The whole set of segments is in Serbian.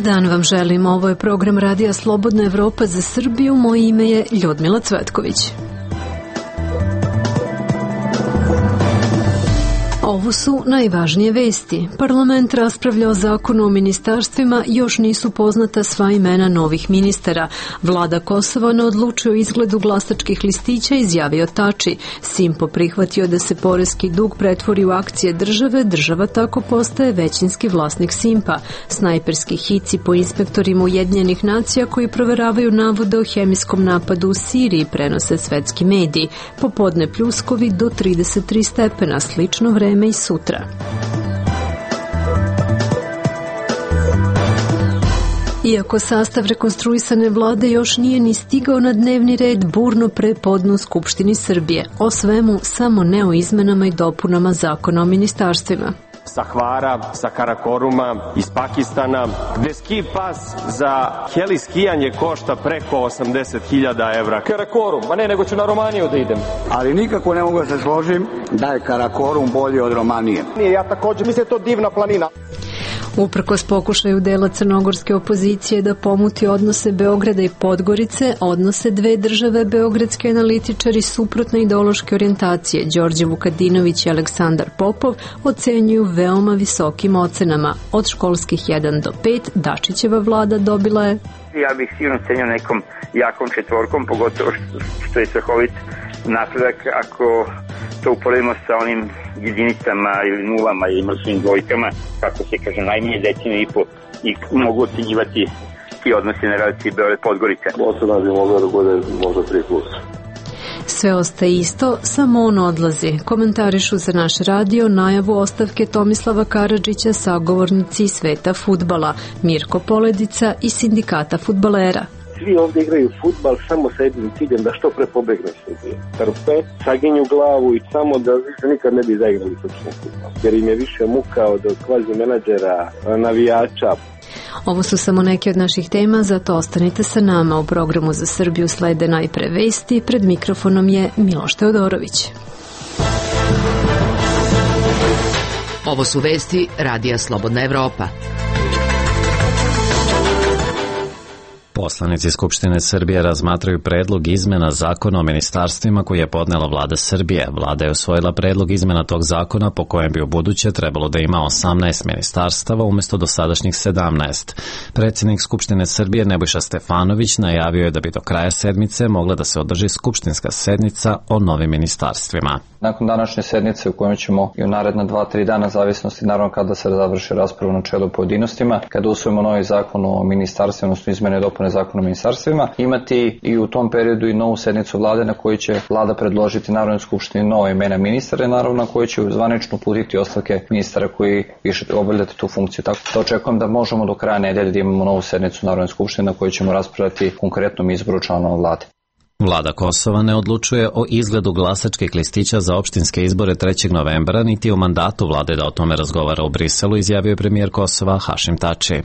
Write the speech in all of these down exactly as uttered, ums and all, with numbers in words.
dan vam želim. Ovo je program Radija Slobodna Evropa za Srbiju. Moje ime je Ljudmila Cvetković. Ovo su najvažnije vesti. Parlament raspravlja o zakonu o ministarstvima, još nisu poznata sva imena novih ministara. Vlada Kosova ne odlučuje o izgledu glasačkih listića, izjavio Tači. Simpo prihvatio da se poreski dug pretvori u akcije države, država tako postaje većinski vlasnik Simpa. Snajperski hici po inspektorima Ujedinjenih nacija koji proveravaju navode o hemijskom napadu u Siriji prenose svetski mediji. Popodne pljuskovi do trideset tri stepena, slično vreme i sutra. Iako sastav rekonstruisane vlade još nije ni stigao na dnevni red, burno prepodne u Skupštini Srbije. O svemu, samo ne o izmenama i dopunama zakona o ministarstvima. Sa Hvara, sa Karakoruma, iz Pakistana, gde ski pas za heli skijanje košta preko osamdeset hiljada evra. Karakorum, ma ne, nego ću na Romaniju da idem. Ali nikako ne mogu da se složim da je Karakorum bolji od Romanije. Nije, ja također, mislim da je to divna planina. Uprkos pokušaju dela crnogorske opozicije da pomuti odnose Beograda i Podgorice, odnose dve države beogradski analitičari suprotne ideološke orijentacije Đorđe Vukadinović i Aleksandar Popov ocenjuju veoma visokim ocenama. Od školskih jedan do pet Dačićeva vlada dobila je... Ja bih sigurno cenio nekom jakom četvorkom, pogotovo što je strahovit napredak ako to uporedimo sa onim jedinicama ili nulama ili mrtvim dvojkama, kako se kaže, najmanje deceniju i po, i mogu ocenjivati ti odnosi na relaciji Beograd-Podgorica. Ocena bi mogla da bude možda tri plus. Sve ostaje isto, samo on odlazi. Komentarišu za naš radio najavu ostavke Tomislava Karadžića sagovornici sveta fudbala, Mirko Poledica i sindikata fudbalera. Svi ovdje igraju fudbal samo sa jednim ciljem da što pre pobegne Srbije. Trpe, saginju glavu i samo da više nikad ne bi zaigrali srpski fudbal. Jer im je više muka od kvazi menadžera, navijača. Ovo su samo neke od naših tema, zato ostanite sa nama. U programu za Srbiju slede najpre vesti. Pred mikrofonom je Miloš Teodorović. Ovo su vesti Radija Slobodna Evropa. Poslanici Skupštine Srbije razmatraju predlog izmena zakona o ministarstvima koji je podnela vlada Srbije. Vlada je usvojila predlog izmena tog zakona po kojem bi u buduće trebalo da ima osamnaest ministarstava umjesto dosadašnjih sedamnaest. Predsjednik Skupštine Srbije Nebojša Stefanović najavio je da bi do kraja sedmice mogla da se održi skupštinska sednica o novim ministarstvima. Nakon današnje sednice u kojoj ćemo i u naredna dva, tri dana, zavisnosti naravno kada se završi raspravu na čelu pojedinostima, kada usvojimo novi zakon o ministarstvima, odnosno izmene i dopune zakona o ministarstvima, imati i u tom periodu i novu sednicu vlade na kojoj će vlada predložiti Narodnoj skupštini nova imena ministara i naravno na kojoj će zvanično uputiti ostavke ministara koji više obavljati tu funkciju. Tako da očekujem da možemo do kraja nedelje da imamo novu sednicu Narodne skupštine na kojoj ćemo raspravljati konkretnom izboru članova vlade. Vlada Kosova ne odlučuje o izgledu glasačkih listića za opštinske izbore trećeg novembra, niti o mandatu vlade da o tome razgovara u Briselu, izjavio je premijer Kosova Hašim Tači.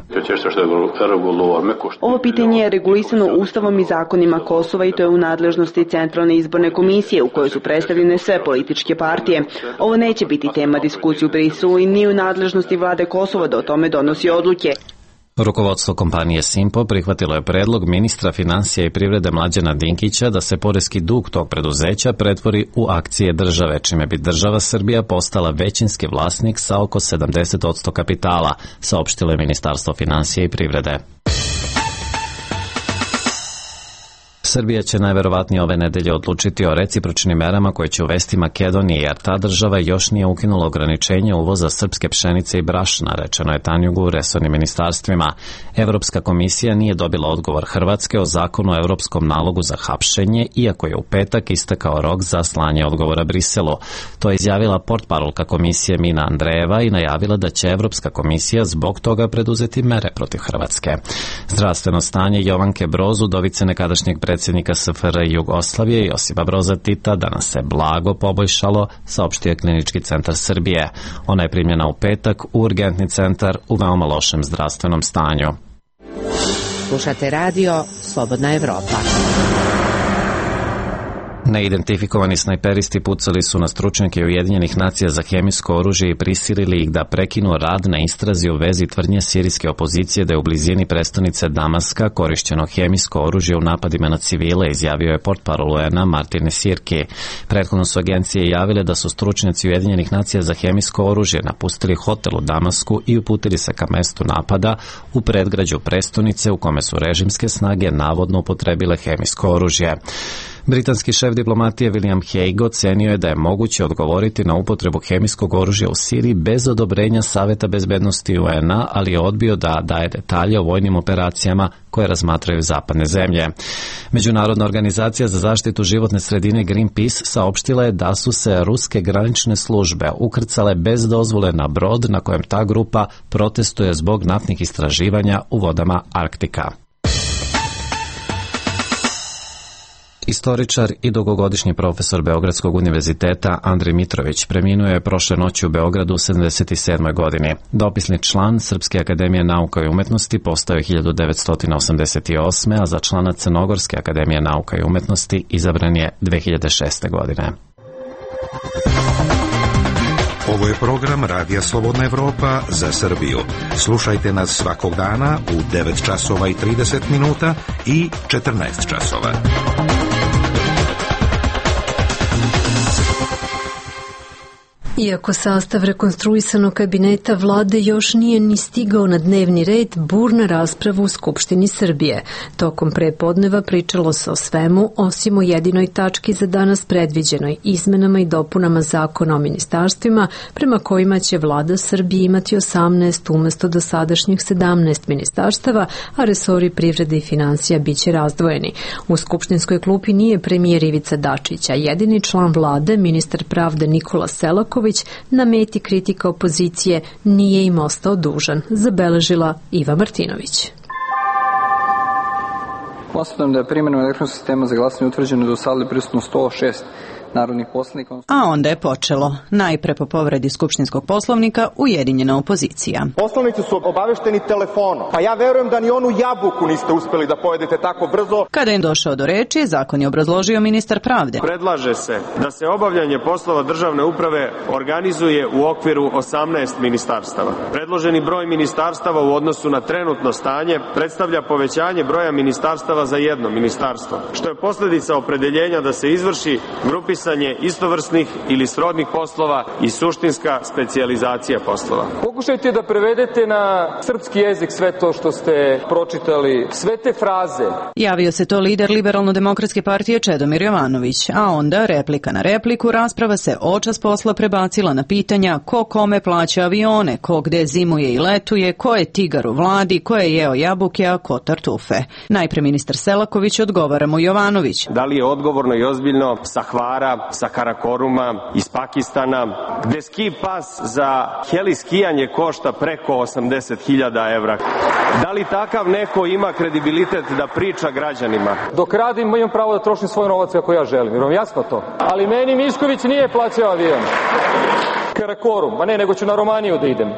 Ovo pitanje je regulisano Ustavom i zakonima Kosova i to je u nadležnosti Centralne izborne komisije u kojoj su predstavljene sve političke partije. Ovo neće biti tema diskusije u Briselu i ni u nadležnosti vlade Kosova da o tome donosi odluke. Rukovodstvo kompanije Simpo prihvatilo je predlog ministra financija i privrede Mlađana Dinkića da se poreski dug tog preduzeća pretvori u akcije države, čime bi država Srbija postala većinski vlasnik sa oko sedamdeset posto kapitala, saopštilo je Ministarstvo financija i privrede. Srbija će najverovatnije ove nedelje odlučiti o recipročnim merama koje će uvesti Makedonija, jer ta država još nije ukinula ograničenje uvoza srpske pšenice i brašna, rečeno je Tanjugu u resornim ministarstvima. Evropska komisija nije dobila odgovor Hrvatske o zakonu o evropskom nalogu za hapšenje, iako je u petak istekao rok za slanje odgovora Briselu. To je izjavila portparolka komisije Mina Andrejeva i najavila da će Evropska komisija zbog toga preduzeti mere protiv Hrvatske. Zdravstveno stanje Jovanke Broz, udovice nekadašnjeg predsjednika S F R Jugoslavije Josipa Broza Tita danas se blago poboljšalo, saopštio je Klinički centar Srbije. Ona je primljena u petak u urgentni centar u veoma lošem zdravstvenom stanju. Slušate radio Slobodna Evropa. Neidentifikovani snajperisti pucali su na stručnjake Ujedinjenih nacija za hemijsko oružje i prisilili ih da prekinu rad na istrazi u vezi tvrdnje sirijske opozicije da je u blizini prestonice Damaska korišćeno hemijsko oružje u napadima na civile, izjavio je portparol U N A Martin Sirki. Prethodno su agencije javile da su stručnjaci Ujedinjenih nacija za hemijsko oružje napustili hotel u Damasku i uputili se ka mestu napada u predgrađu prestonice u kome su režimske snage navodno upotrebile hemijsko oružje. Britanski šef diplomatije William Hague ocenio je da je moguće odgovoriti na upotrebu hemijskog oružja u Siriji bez odobrenja Saveta bezbednosti U N A, ali je odbio da daje detalje o vojnim operacijama koje razmatraju zapadne zemlje. Međunarodna organizacija za zaštitu životne sredine Greenpeace saopštila je da su se ruske granične službe ukrcale bez dozvole na brod na kojem ta grupa protestuje zbog naftnih istraživanja u vodama Arktika. Istoričar i dugogodišnji profesor Beogradskog univerziteta Andrij Mitrović preminuo je prošle noći u Beogradu u sedamdeset sedmoj godini. Dopisni član Srpske akademije nauka i umetnosti postao je hiljadu devetsto osamdeset osme. a za člana Crnogorske akademije nauka i umetnosti izabran je dve hiljade šeste. godine. Ovo je program Radija Slobodna Evropa za Srbiju. Slušajte nas svakog dana u devet časova i trideset minuta i četrnaest časova. Iako sastav rekonstruisanog kabineta vlade još nije ni stigao na dnevni red, burna rasprava u Skupštini Srbije. Tokom prepodneva pričalo se o svemu, osim o jedinoj tački za danas predviđenoj izmenama i dopunama zakona o ministarstvima, prema kojima će vlada Srbije imati osamnaest umesto dosadašnjih sedamnaest ministarstava, a resori privrede i financija biće razdvojeni. U skupštinskoj klupi nije premijer Ivica Dačić, a jedini član vlade, ministar pravde Nikola Selaković, na meti kritika opozicije nije im ostao dužan, zabeležila Iva Martinović. Konstatujem da je primjenom elektronskog sistema za glasanje utvrđeno da u sali prisutno sto šest narodnih poslanika. A onda je počelo. Najpre po povredi skupštinskog poslovnika ujedinjena opozicija. Poslanici su obavešteni telefonom, pa ja verujem da ni onu jabuku niste uspeli da pojedete tako brzo. Kada je došao do reči, zakon je obrazložio ministar pravde. Predlaže se da se obavljanje poslova državne uprave organizuje u okviru osamnaest ministarstava. Predloženi broj ministarstava u odnosu na trenutno stanje predstavlja povećanje broja ministarstava za jedno ministarstvo, što je posljedica opredeljenja da se izvrši grupisanje istovrsnih ili srodnih poslova i suštinska specijalizacija poslova. Pokušajte da prevedete na srpski jezik sve to što ste pročitali, sve te fraze. Javio se to lider Liberalno-demokratske partije Čedomir Jovanović, a onda replika na repliku, rasprava se očas posla prebacila na pitanja ko kome plaća avione, ko gde zimuje i letuje, ko je tigar u vladi, ko je jeo jabuke, a ko tartufe. Najpre ministar Selaković odgovara mu Jovanović. Da li je odgovorno i ozbiljno sa Hvara, sa Karakoruma, iz Pakistana, gde ski pas za heli skijanje košta preko osamdeset hiljada evra. Da li takav neko ima kredibilitet da priča građanima? Dok radim, imam pravo da trošim svoj novac kako ja želim, jer vam jasno to. Ali meni Mišković nije plaćao avion. Karakorum, ma ne, nego ću na Romaniju da idem.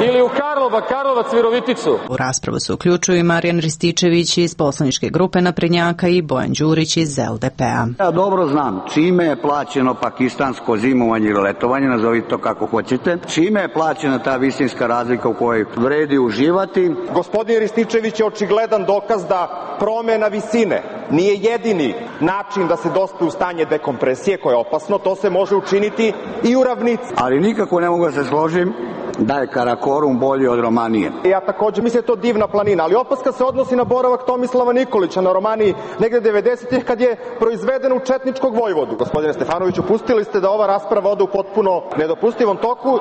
Ili u Karlova, Karlovac, Viroviticu. U raspravu se uključuju i Marijan Rističević iz poslaničke grupe Naprednjaka i Bojan Đurić iz L D P-a. Ja dobro znam čime je plaćeno pakistansko zimovanje ili letovanje, nazovite to kako hoćete, čime je plaćena ta visinska razlika u kojoj vredi uživati. Gospodin Rističević je očigledan dokaz da promena visine nije jedini način da se dospe u stanje dekompresije, koje je opasno, to se može učiniti i u ravnici. Ali nikako ne mogu da se složim da je Karakorum bolji od Romanije. Ja također mislim da je to divna planina, ali opaska se odnosi na boravak Tomislava Nikolića na Romaniji negde devedesetih kad je proizveden u četničkog vojvodu. Gospodine Stefanoviću, pustili ste da ova rasprava ode u potpuno nedopustivom toku.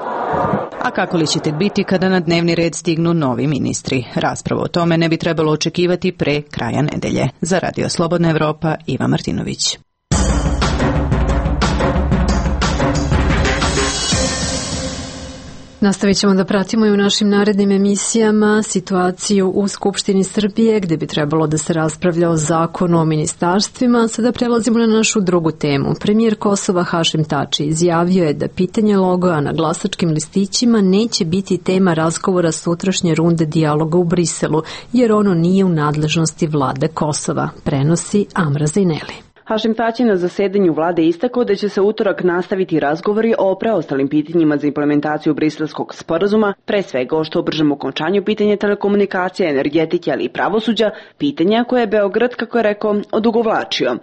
A kako li ćete biti kada na dnevni red stignu novi ministri? Raspravu o tome ne bi trebalo očekivati pre kraja nedelje. Za Radio Slobodna Evropa, Iva Martinović. Nastavit ćemo da pratimo i u našim narednim emisijama situaciju u Skupštini Srbije, gde bi trebalo da se raspravlja o zakonu o ministarstvima. Sada prelazimo na našu drugu temu. Premijer Kosova Hašim Tači izjavio je da pitanje logoa na glasačkim listićima neće biti tema razgovora sutrašnje runde dijaloga u Briselu, jer ono nije u nadležnosti vlade Kosova, prenosi Amra Zineli. Hašim Tači na zasedanju vlade istakao da će se utorak nastaviti razgovori o preostalim pitanjima za implementaciju Briselskog sporazuma, pre svega o što bržem okončanju pitanja telekomunikacija, energetike, ali i pravosuđa, pitanja koje je Beograd, kako je rekao, odugovlačio.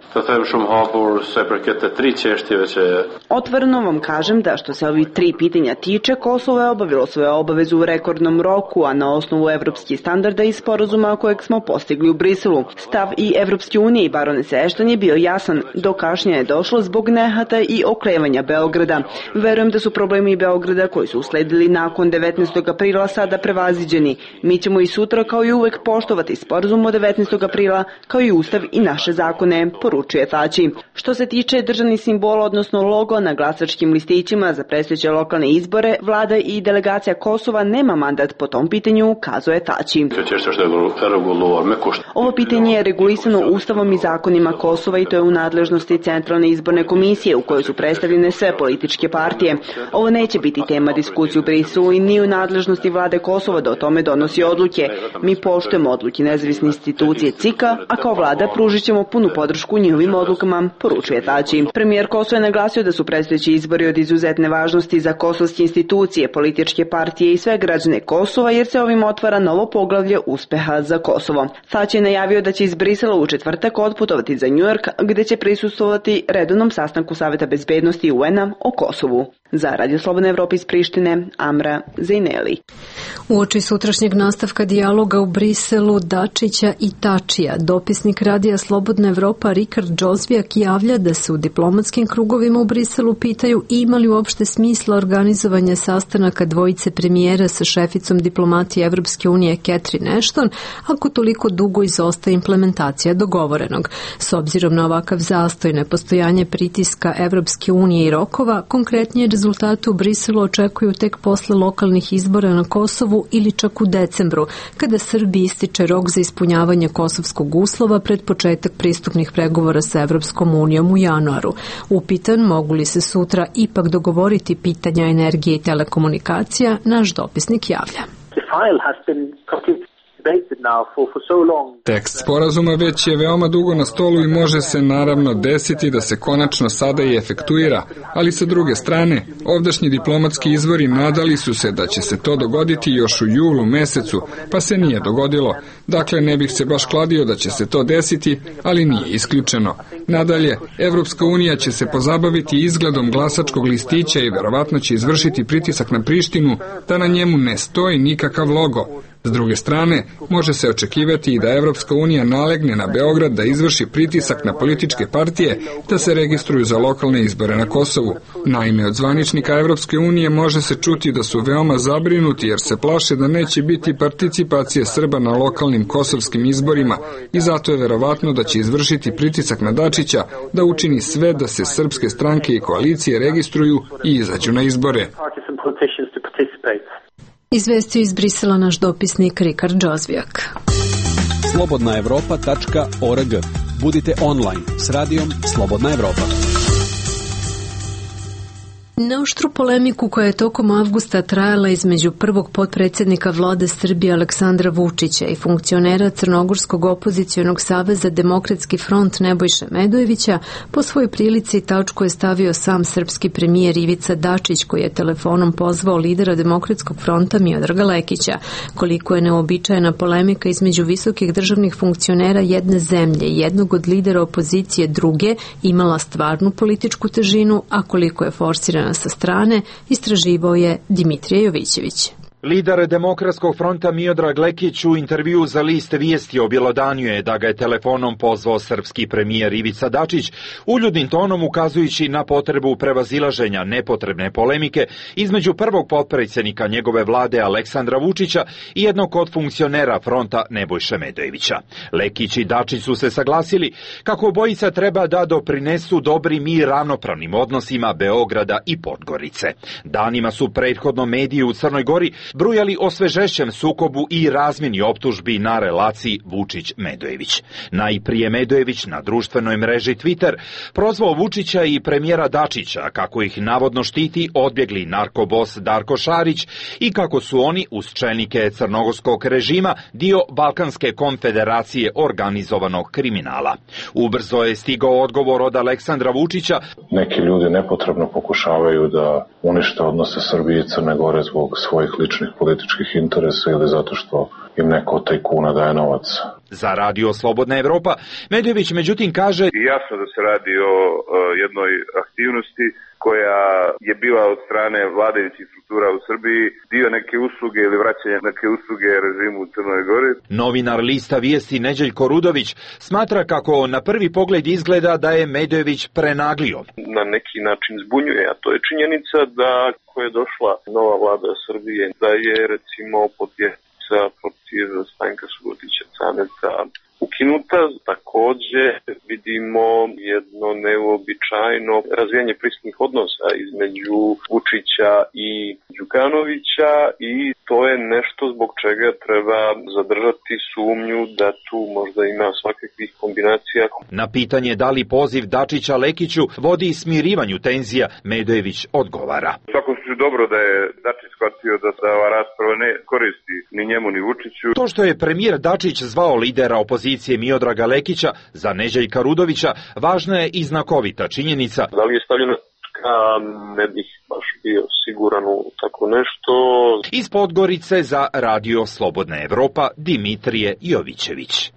Otvoreno vam kažem da što se ovih tri pitanja tiče, Kosovo je obavilo svoje obavezu u rekordnom roku, a na osnovu evropskih standarda i sporazuma kojeg smo postigli u Briselu. Stav i Evropske unije i baronese Ešton je bio jasan, do kašnjenja je došlo zbog nehata i oklevanja Beograda. Verujem da su problemi Beograda koji su usledili nakon devetnaestog aprila sada prevaziđeni. Mi ćemo i sutra kao i uvek poštovati sporazum od devetnaestog aprila kao i ustav i naše zakone, poručuje Tači. Što se tiče državnih simbola, odnosno logo na glasačkim listićima za predstojeće lokalne izbore, vlada i delegacija Kosova nema mandat po tom pitanju, kazuje Tači. Ovo pitanje je regulisano ustavom i zakonima Kosova i to je u nadležnosti Centralne izborne komisije u kojoj su predstavljene sve političke partije. Ovo neće biti tema diskusije u Briselu i ni u nadležnosti vlade Kosova da o tome donosi odluke. Mi poštujemo odluke nezavisne institucije C I K A, a kao vlada pružit ćemo punu podršku njihovim odlukama, poručuje Tači. Premijer Kosova je naglasio da su predstojeći izbori od izuzetne važnosti za kosovske institucije, političke partije i sve građane Kosova, jer se ovim otvara novo poglavlje uspeha za Kosovo. Tači je najavio da će iz Brisela u četvrtak otputovati za Njujork, gde će prisustvovati redovnom sastanku Saveta bezbednosti U N A o Kosovu. Za Radio Slobodna Evropa iz Prištine, Amra Zejneli. Uoči sutrašnjeg nastavka dijaloga u Briselu Dačića i Tačija, dopisnik Radija Slobodna Evropa Rikard Džozbijak javlja da se u diplomatskim krugovima u Briselu pitaju ima li uopšte smisla organizovanje sastanaka dvojice premijera sa šeficom diplomatije Evropske unije Catherine Ashton, ako toliko dugo izostaje implementacija dogovorenog. S obzirom na ovakav zastoj, nepostojanje pritiska Evropske unije i rokova, konkretnije rezultate u Briselu očekuju tek posle lokalnih izbora na Kosovu ili čak u decembru, kada Srbiji ističe rok za ispunjavanje kosovskog uslova pred početak pristupnih pregovora sa Evropskom unijom u januaru. Upitan mogu li se sutra ipak dogovoriti pitanja energije i telekomunikacija, naš dopisnik javlja. Tekst sporazuma već je veoma dugo na stolu i može se naravno desiti da se konačno sada i efektuira, ali sa druge strane, ovdašnji diplomatski izvori nadali su se da će se to dogoditi još u julu mesecu, pa se nije dogodilo. Dakle, ne bih se baš kladio da će se to desiti, ali nije isključeno. Nadalje, Evropska unija će se pozabaviti izgledom glasačkog listića i verovatno će izvršiti pritisak na Prištinu da na njemu ne stoji nikakav logo. S druge strane, može se očekivati i da Evropska unija nalegne na Beograd da izvrši pritisak na političke partije da se registruju za lokalne izbore na Kosovu. Naime, od zvaničnika Evropske unije može se čuti da su veoma zabrinuti jer se plaše da neće biti participacije Srba na lokalnim kosovskim izborima i zato je verovatno da će izvršiti pritisak na Dačića da učini sve da se srpske stranke i koalicije registruju i izađu na izbore. Izvestio iz Brisela naš dopisnik Rikard Džozbijak. slobodna evropa tačka org. Budite online s radijom Slobodna Evropa. Na oštru polemiku koja je tokom avgusta trajala između prvog potpredsjednika vlade Srbije Aleksandra Vučića i funkcionera Crnogorskog opozicionog saveza Demokratski front Nebojše Medojevića, po svojoj prilici tačku je stavio sam srpski premijer Ivica Dačić, koji je telefonom pozvao lidera Demokratskog fronta Miodraga Lekića. Koliko je neobičajena polemika između visokih državnih funkcionera jedne zemlje i jednog od lidera opozicije druge imala stvarnu političku težinu, a koliko je forsirana sa strane, istraživao je Dimitrije Jovićević. Lider Demokratskog fronta Miodrag Lekić u intervju za list Vijesti objelodanjuje da ga je telefonom pozvao srpski premijer Ivica Dačić, uljudnim tonom ukazujući na potrebu prevazilaženja nepotrebne polemike između prvog potpredsjednika njegove vlade Aleksandra Vučića i jednog od funkcionera fronta Nebojše Medojevića. Lekić i Dačić su se saglasili kako obojica treba da doprinesu dobrim i ravnopravnim odnosima Beograda i Podgorice. Danima su prethodno mediji u Crnoj Gori brujali o sve žešćem sukobu i razmjeni optužbi na relaciji Vučić-Medojević. Najprije Medojević na društvenoj mreži Twitter prozvao Vučića i premijera Dačića kako ih navodno štiti odbjegli narkobos Darko Šarić i kako su oni uz čelnike crnogorskog režima dio Balkanske konfederacije organizovanog kriminala. Ubrzo je stigao odgovor od Aleksandra Vučića. Neki ljudi nepotrebno pokušavaju da unište odnose Srbije i Crne Gore zbog svojih ličnih političkih interesa ili zato što im neko od tajkuna daje novac. Za Radio Slobodna Evropa Medojević međutim kaže: jasno da se radi o uh, jednoj aktivnosti koja je bila od strane vladajućih struktura u Srbiji dio neke usluge ili vraćanje neke usluge režimu u Crnoj Gori. Novinar lista Vijesti Neđeljko Rudović smatra kako na prvi pogled izgleda da je Medojević prenaglio. Na neki način zbunjuje, a to je činjenica da ko je došla nova vlada Srbije, da je recimo podjeca protiv Stanka Subotića Caneca ukinuta. Takođe vidimo jedno neuobičajeno razvijanje prisutnih odnosa između Vučića i Đukanovića i to je nešto zbog čega treba zadržati sumnju da tu možda ima svakakvih kombinacija. Na pitanje da li poziv Dačića Lekiću vodi smirivanju tenzija, Medojević odgovara: u svakom slučaju dobro da je Dačić shvatio da se ova rasprava ne koristi ni njemu ni Vučiću. To što je premijer Dačić zvao lidera opozicije Miodraga Lekića za Neđeljka Rudovića važna je i znakovita činjenica. Da li je stavljeno ka, ne bih baš bio siguran u tako nešto. Iz Podgorice za Radio Slobodna Evropa Dimitrije Jovićević.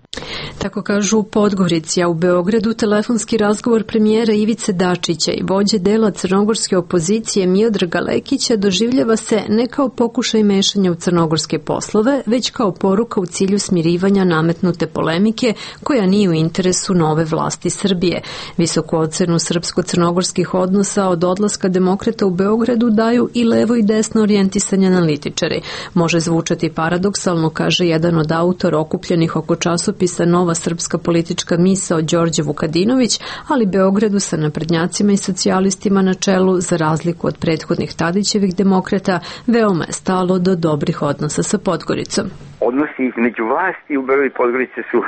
Tako kažu u Podgorici, a u Beogradu telefonski razgovor premijera Ivice Dačića i vođe dela crnogorske opozicije Miodraga Lekića doživljava se ne kao pokušaj mešanja u crnogorske poslove, već kao poruka u cilju smirivanja nametnute polemike koja nije u interesu nove vlasti Srbije. Visoku ocenu srpsko-crnogorskih odnosa od odlaska demokrata u Beogradu daju i levo i desno orijentisani analitičari. Može zvučati paradoksalno, kaže jedan od autora okupljenih oko časopisa Nova srpska politička misao Đorđe Vukadinović, ali Beogradu sa naprednjacima i socijalistima na čelu, za razliku od prethodnih Tadićevih demokrata, veoma je stalo do dobrih odnosa sa Podgoricom. Odnosi između vlasti u Beogradu i Podgorice su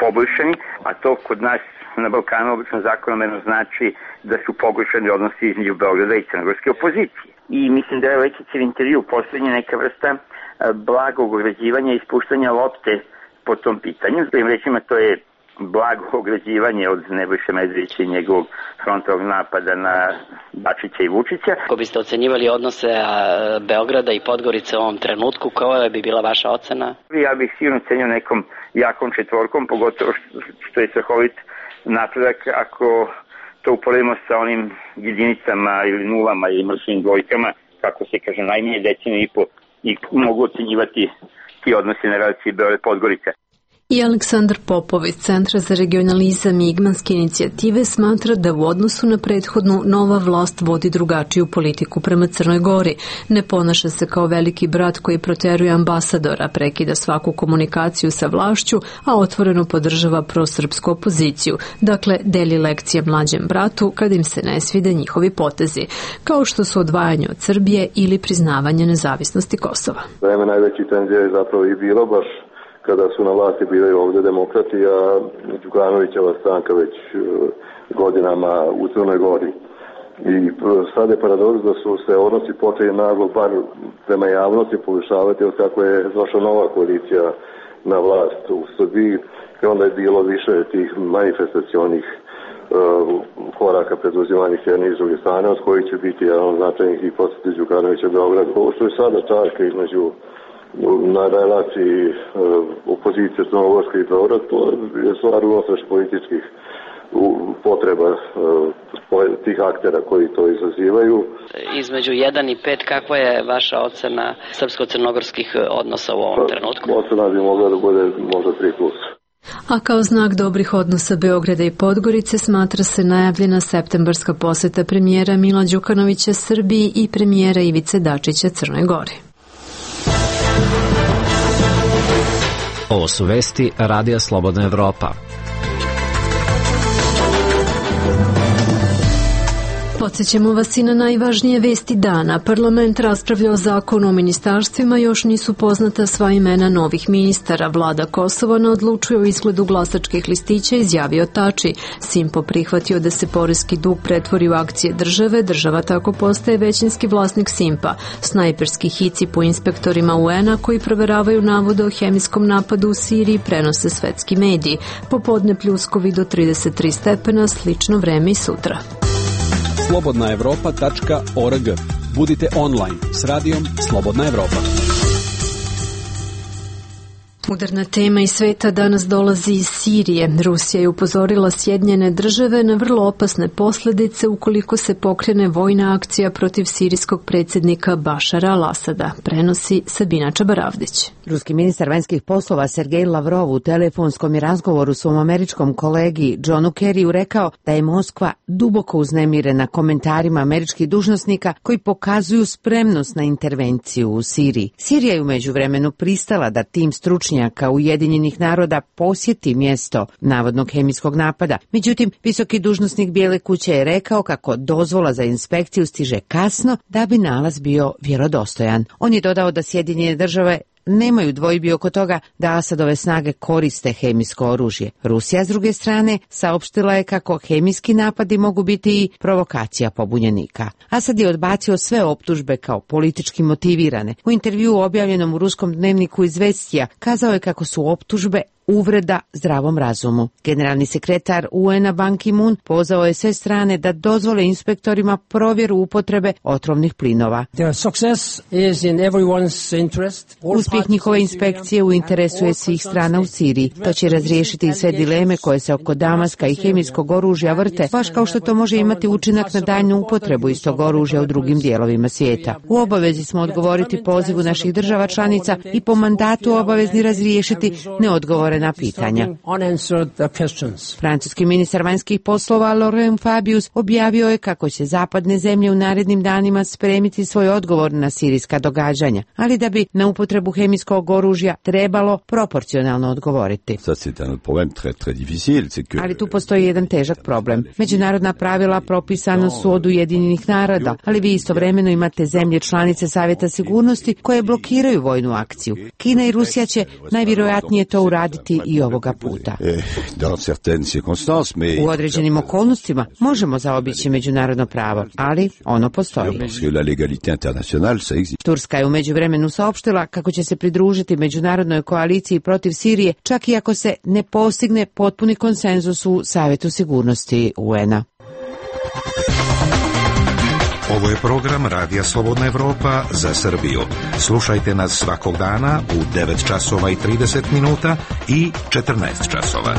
poboljšani, a to kod nas na Balkanu obično zakonomjerno znači da su pogoršani odnosi između Beograda i crnogorske opozicije. I mislim da je Lekićev intervju poslednja neka vrsta blagog ograđivanja i ispuštanja lopte po tom pitanju. Svojim rečima to je blago ograđivanje od Nebojše Medvedevića i njegovog frontalnog napada na Dačića i Vučića. Ako biste ocenjivali odnose Beograda i Podgorice u ovom trenutku, koja bi bila vaša ocena? Ja bih sigurno cenio nekom jakom četvorkom, pogotovo što je strahovit napredak ako to uporedimo sa onim jedinicama ili nulama ili mrtvim dvojkama, kako se kaže, najmanje deceniju i po, i mogu ocenjivati ti odnosi na relaciji Beograd-Podgorica. I Aleksandar Popov iz Centra za regionalizam i Igmanske inicijative smatra da u odnosu na prethodnu nova vlast vodi drugačiju politiku prema Crnoj Gori. Ne ponaša se kao veliki brat koji proteruje ambasadora, prekida svaku komunikaciju sa vlašću, a otvoreno podržava prosrpsku opoziciju. Dakle, deli lekcije mlađem bratu kad im se ne svide njihovi potezi, kao što su odvajanje od Srbije ili priznavanje nezavisnosti Kosova. Vreme najveći tenzija je zapravo i bilo baš kada su na vlasti bili ovde demokrati, a Đukanovićeva stranka već godinama u Crnoj Gori. I sad je paradoks da su se odnosi počeli naglo bar prema javnosti povišavati od kako je došla nova koalicija na vlast u Srbiji, i onda je bilo više tih manifestacionih uh, koraka preduzimanja s jedne i s druge strane, od kojih će biti jedan od značajnih i posjeti Đukanovića Beograd. Ovo što je sada čarka između na relaciji uh, opozicije Crnogorske i Beograd, to je stvar unutrašnjih političkih potreba uh, tih aktera koji to izazivaju. Između jedan i pet, kakva je vaša ocena srpsko-crnogorskih odnosa u ovom trenutku? Ocena bi mogla da bude možda tri plus. A kao znak dobrih odnosa Beograda i Podgorice smatra se najavljena septembarska poseta premijera Mila Đukanovića Srbiji i premijera Ivice Dačića Crnoj Gori. Ovo su vesti Radija Slobodna Evropa. Podsjećamo vas i na najvažnije vesti dana. Parlament raspravlja o zakonu o ministarstvima, još nisu poznata sva imena novih ministara. Vlada Kosova ne odlučuje o izgledu glasačkih listića, izjavio Tači. Simpo prihvatio da se poreski dug pretvori u akcije države, država tako postaje većinski vlasnik Simpa. Snajperski hici po inspektorima U N-a koji proveravaju navode o hemijskom napadu u Siriji prenose svetski mediji. Popodne pljuskovi do trideset tri stepena, slično vreme i sutra. slobodna evropa tačka org. Budite online s radijom Slobodna Evropa. Udarna tema iz sveta danas dolazi iz Sirije. Rusija je upozorila Sjedinjene države na vrlo opasne posljedice ukoliko se pokrene vojna akcija protiv sirijskog predsjednika Bašara al-Asada, prenosi Sabina Čabaravdić. Ruski ministar vanjskih poslova Sergej Lavrov u telefonskom je razgovoru svom američkom kolegi Johnu Kerryu rekao da je Moskva duboko uznemirena komentarima američkih dužnosnika koji pokazuju spremnost na intervenciju u Siriji. Sirija je u međuvremenu pristala da tim stručnjaka Ujedinjenih naroda posjeti mjesto navodnog hemijskog napada. Međutim, visoki dužnosnik Bijele kuće je rekao kako dozvola za inspekciju stiže kasno da bi nalaz bio vjerodostojan. On je dodao da Sjedinjene države nemaju dvojbi oko toga da Asadove snage koriste hemijsko oružje. Rusija, s druge strane, saopštila je kako hemijski napadi mogu biti i provokacija pobunjenika. Asad je odbacio sve optužbe kao politički motivirane. U intervjuu objavljenom u ruskom dnevniku Izvestija kazao je kako su optužbe uvreda zdravom razumu. Generalni sekretar U N-a Ban Ki-moon pozvao je sve strane da dozvole inspektorima provjeru upotrebe otrovnih plinova. Uspjeh njihove inspekcije u interesu je svih strana u Siriji. To će razriješiti sve dileme koje se oko Damaska i hemijskog oružja vrte, baš kao što to može imati učinak na daljnju upotrebu istog oružja u drugim dijelovima svijeta. U obavezi smo odgovoriti pozivu naših država članica i po mandatu obavezni razriješiti neodgovorene na pitanja. Francuski ministar vanjskih poslova Laurent Fabius objavio je kako će zapadne zemlje u narednim danima spremiti svoj odgovor na sirijska događanja, ali da bi na upotrebu hemijskog oružja trebalo proporcionalno odgovoriti. Ali tu postoji jedan težak problem. Međunarodna pravila propisana su od Ujedinjenih naroda, ali vi istovremeno imate zemlje članice Savjeta sigurnosti koje blokiraju vojnu akciju. Kina i Rusija će najvjerojatnije to uraditi i ovoga puta. U određenim okolnostima možemo zaobići međunarodno pravo, ali ono postoji. Turska je u međuvremenu saopštila kako će se pridružiti međunarodnoj koaliciji protiv Sirije, čak i ako se ne postigne potpuni konsenzus u Savjetu sigurnosti U N-a. Ovo je program Radija Slobodna Evropa za Srbiju. Slušajte nas svakog dana u devet časova i trideset minuta i četrnaest časova.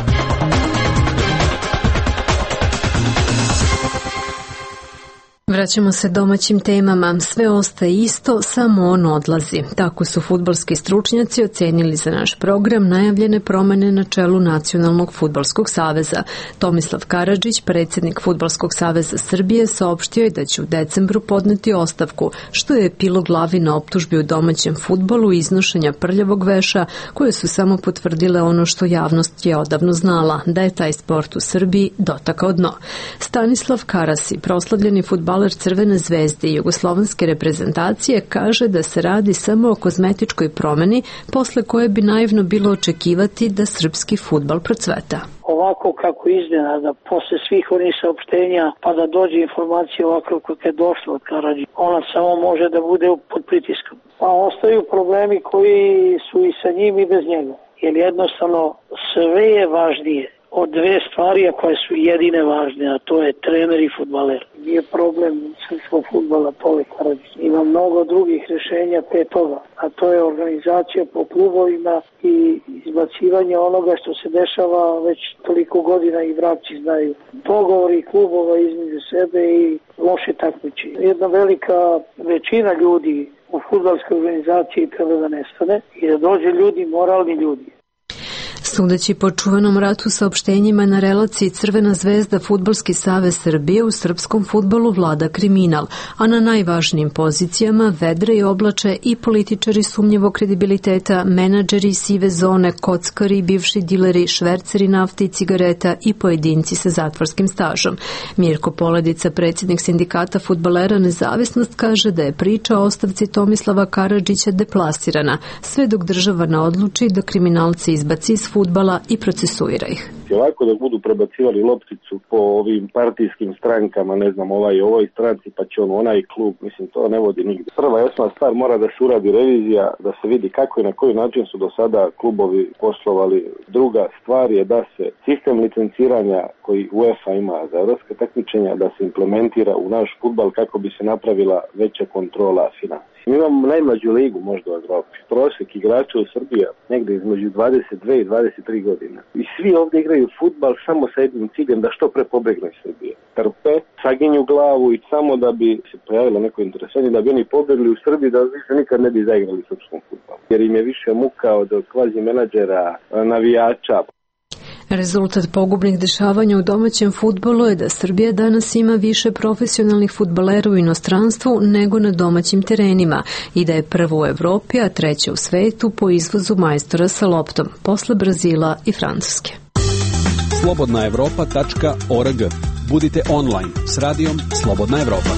Vraćamo se domaćim temama. Sve ostaje isto, samo on odlazi. Tako su fudbalski stručnjaci ocenili za naš program najavljene promjene na čelu Nacionalnog fudbalskog saveza. Tomislav Karadžić, predsjednik Fudbalskog saveza Srbije, saopštio je da će u decembru podneti ostavku, što je epilog glavi na optužbi u domaćem fudbalu i iznošenja prljavog veša, koje su samo potvrdile ono što javnost je odavno znala, da je taj sport u Srbiji dotakao dno. Stanislav Karasi, proslavljeni fudbaler Crvene zvezde i jugoslovenske reprezentacije, kaže da se radi samo o kozmetičkoj promjeni posle koje bi naivno bilo očekivati da srpski fudbal procveta. Ovako kako iznenada, posle svih onih saopštenja, pa da dođe informacija ovako kako je došla od Karadžića, ona samo može da bude pod pritiskom. Pa ostaju problemi koji su i sa njim i bez njega. Jer jednostavno sve je važnije od dve stvari koje su jedine važne, a to je trener i fudbaler. Nije problem srpskog fudbala pored Karadžića. Ima mnogo drugih rješenja te toga, a to je organizacija po klubovima i izbacivanje onoga što se dešava već toliko godina i vrapci znaju. Dogovori klubova između sebe i loše takmičenje. Jedna velika većina ljudi u fudbalskoj organizaciji treba da nestane i da dođe ljudi, moralni ljudi. Sudeći po čuvenom ratu saopštenjima na relaciji Crvena zvezda Fudbalski savez Srbije, u srpskom fudbalu vlada kriminal, a na najvažnijim pozicijama vedre i oblače i političari sumnjivog kredibiliteta, menadžeri sive zone, kockari, bivši dileri, šverceri nafte i cigareta i pojedinci sa zatvorskim stažom. Mirko Poledica, predsjednik sindikata fudbalera Nezavisnost, kaže da je priča o ostavci Tomislava Karadžića deplasirana, sve dok država ne odluči da kriminalci izbaci iz fudbala i procesuira ih. Ovako da budu prebacivali lopticu po ovim partijskim strankama, ne znam, ovaj ovoj stranci, pa će on onaj klub, mislim, to ne vodi nigde. Prva i osnovna stvar, mora da se uradi revizija, da se vidi kako i na koji način su do sada klubovi poslovali. Druga stvar je da se sistem licenciranja koji UEFA ima za evropske takmičenja, da se implementira u naš fudbal kako bi se napravila veća kontrola financija. Mi imamo najmlađu ligu možda u Evropi. Prosjek igrača u Srbiji negde između dvadeset dve i dvadeset tri godine. I svi ovdje igraju fudbal samo sa jednim ciljem da što pre pobegnu iz Srbije. Trpe, saginju glavu i samo da bi se pojavilo neko interesovanje, da bi oni pobegli u Srbiji, da više nikad ne bi zaigrali srpskom fudbalu. Jer im je više muka od kvazi menadžera, navijača. Rezultat pogubnih dešavanja u domaćem fudbalu je da Srbija danas ima više profesionalnih fudbalera u inostranstvu nego na domaćim terenima i da je prvo u Evropi, a treće u svetu po izvozu majstora sa loptom, posle Brazila i Francuske. slobodna evropa tačka org. Budite online s radijom Slobodna Evropa.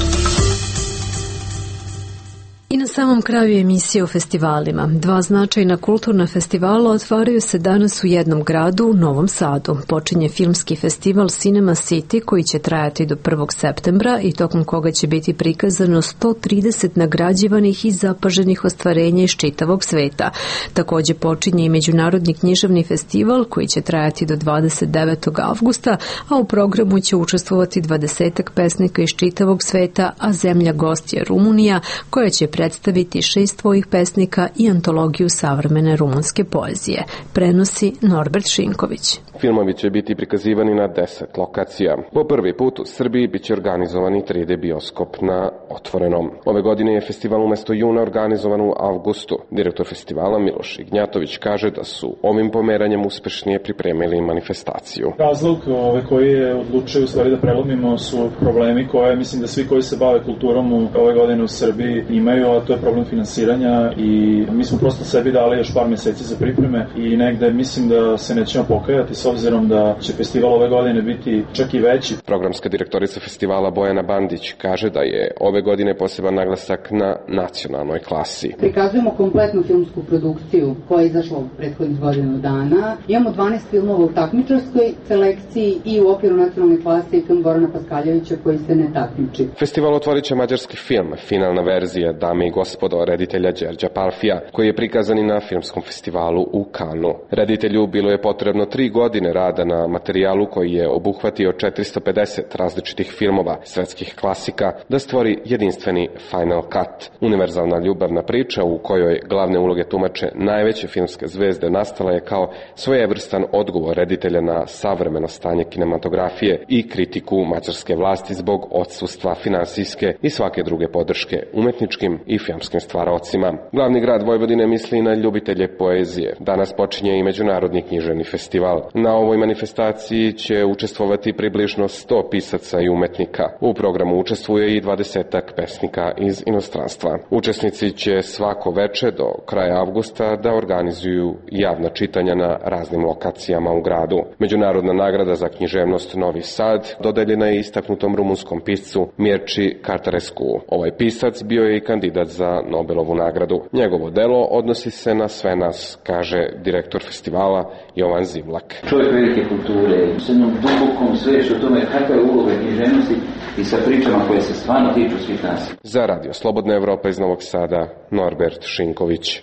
I na samom kraju emisije o festivalima. Dva značajna kulturna festivala otvaraju se danas u jednom gradu, u Novom Sadu. Počinje filmski festival Cinema City koji će trajati do prvog septembra i tokom koga će biti prikazano sto trideset nagrađivanih i zapaženih ostvarenja iz čitavog sveta. Također počinje i Međunarodni književni festival koji će trajati do dvadeset devetog avgusta, a u programu će učestvovati dvadesetak pesnika iz čitavog sveta, a zemlja gost je Rumunija koja će predstaviti šest svojih pesnika i antologiju savremene rumunske poezije. Prenosi Norbert Šinković. Filmovi će biti prikazivani na deset lokacija. Po prvi put u Srbiji biće organizovani tri D bioskop na otvorenom. Ove godine je festival umesto juna organizovan u avgustu. Direktor festivala Miloš Ignjatović kaže da su ovim pomeranjem uspešnije pripremili manifestaciju. Razlog ove koji je odlučio u stvari da prelomimo su problemi koje mislim da svi koji se bave kulturom u ove godine u Srbiji imaju, a to je problem finansiranja i mi smo prosto sebi dali još par meseci za pripreme i negde mislim da se nećemo pokajati s obzirom da će festival ove godine biti čak i veći. Programska direktorica festivala Bojana Bandić kaže da je ove godine poseban naglasak na nacionalnoj klasi. Prikazujemo kompletnu filmsku produkciju koja je izašla u prethodnih godinu dana. Imamo dvanaest filmova u takmičarskoj selekciji i u okviru nacionalne klase i film Gorana Paskaljevića koji se ne takmiči. Festival otvorit će mađarski film, finalna verzija Dame i gospodo reditelja Đerđa Palfija, koji je prikazan i na filmskom festivalu u Kanu. Reditelju bilo je potrebno tri godine rada na materijalu koji je obuhvatio četiristo pedeset različitih filmova svetskih klasika da stvori jedinstveni Final Cut. Univerzalna ljubavna priča u kojoj glavne uloge tumače najveće filmske zvezde nastala je kao svojevrstan odgovor reditelja na savremeno stanje kinematografije i kritiku mađarske vlasti zbog odsustva finansijske i svake druge podrške umetničkim i filmskim stvaraocima. Glavni grad Vojvodine misli na ljubitelje poezije. Danas počinje i Međunarodni književni festival. Na ovoj manifestaciji će učestvovati približno sto pisaca i umetnika. U programu učestvuje i dvadesetak pesnika iz inostranstva. Učesnici će svako veče do kraja avgusta da organizuju javna čitanja na raznim lokacijama u gradu. Međunarodna nagrada za književnost Novi Sad dodeljena je istaknutom rumunskom piscu Mirči Cartarescu. Ovaj pisac bio je i kandidat za Nobelovu nagradu. Njegovo delo odnosi se na sve nas, kaže direktor festivala Jovan Zivlak. Čovjek velike kulture, s jednom dubokom svešću o tome kakva je uloga književnosti i sa pričama koje se stvarno tiču svih nas. Za Radio Slobodna Evropa iz Novog Sada, Norbert Šinković.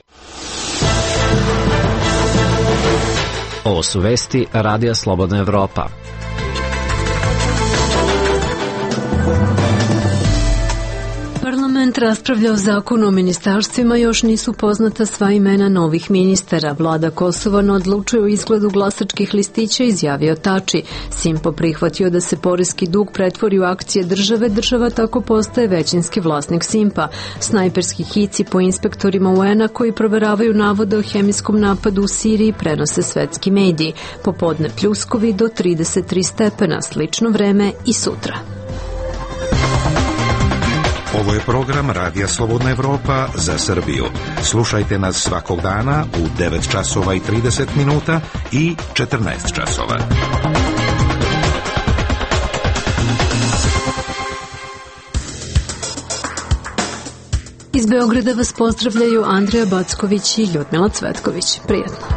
Ovo su vesti Radija Slobodna Evropa. Parlament raspravlja o zakonu o ministarstvima, još nisu poznata sva imena novih ministara. Vlada Kosova ne odlučuje o izgledu glasačkih listića, izjavio Tači. Simpo prihvatio da se poreski dug pretvori u akcije države, država tako postaje većinski vlasnik Simpa. Snajperski hici po inspektorima U N-a koji proveravaju navode o hemijskom napadu u Siriji prenose svetski mediji. Popodne pljuskovi do trideset tri stepena, slično vreme i sutra. Ovo je program Radija Slobodna Evropa za Srbiju. Slušajte nas svakog dana u devet časova i trideset minuta i četrnaest časova. Iz Beograda vas pozdravljaju Andreja Backović i Ljudmila Cvetković. Prijetno.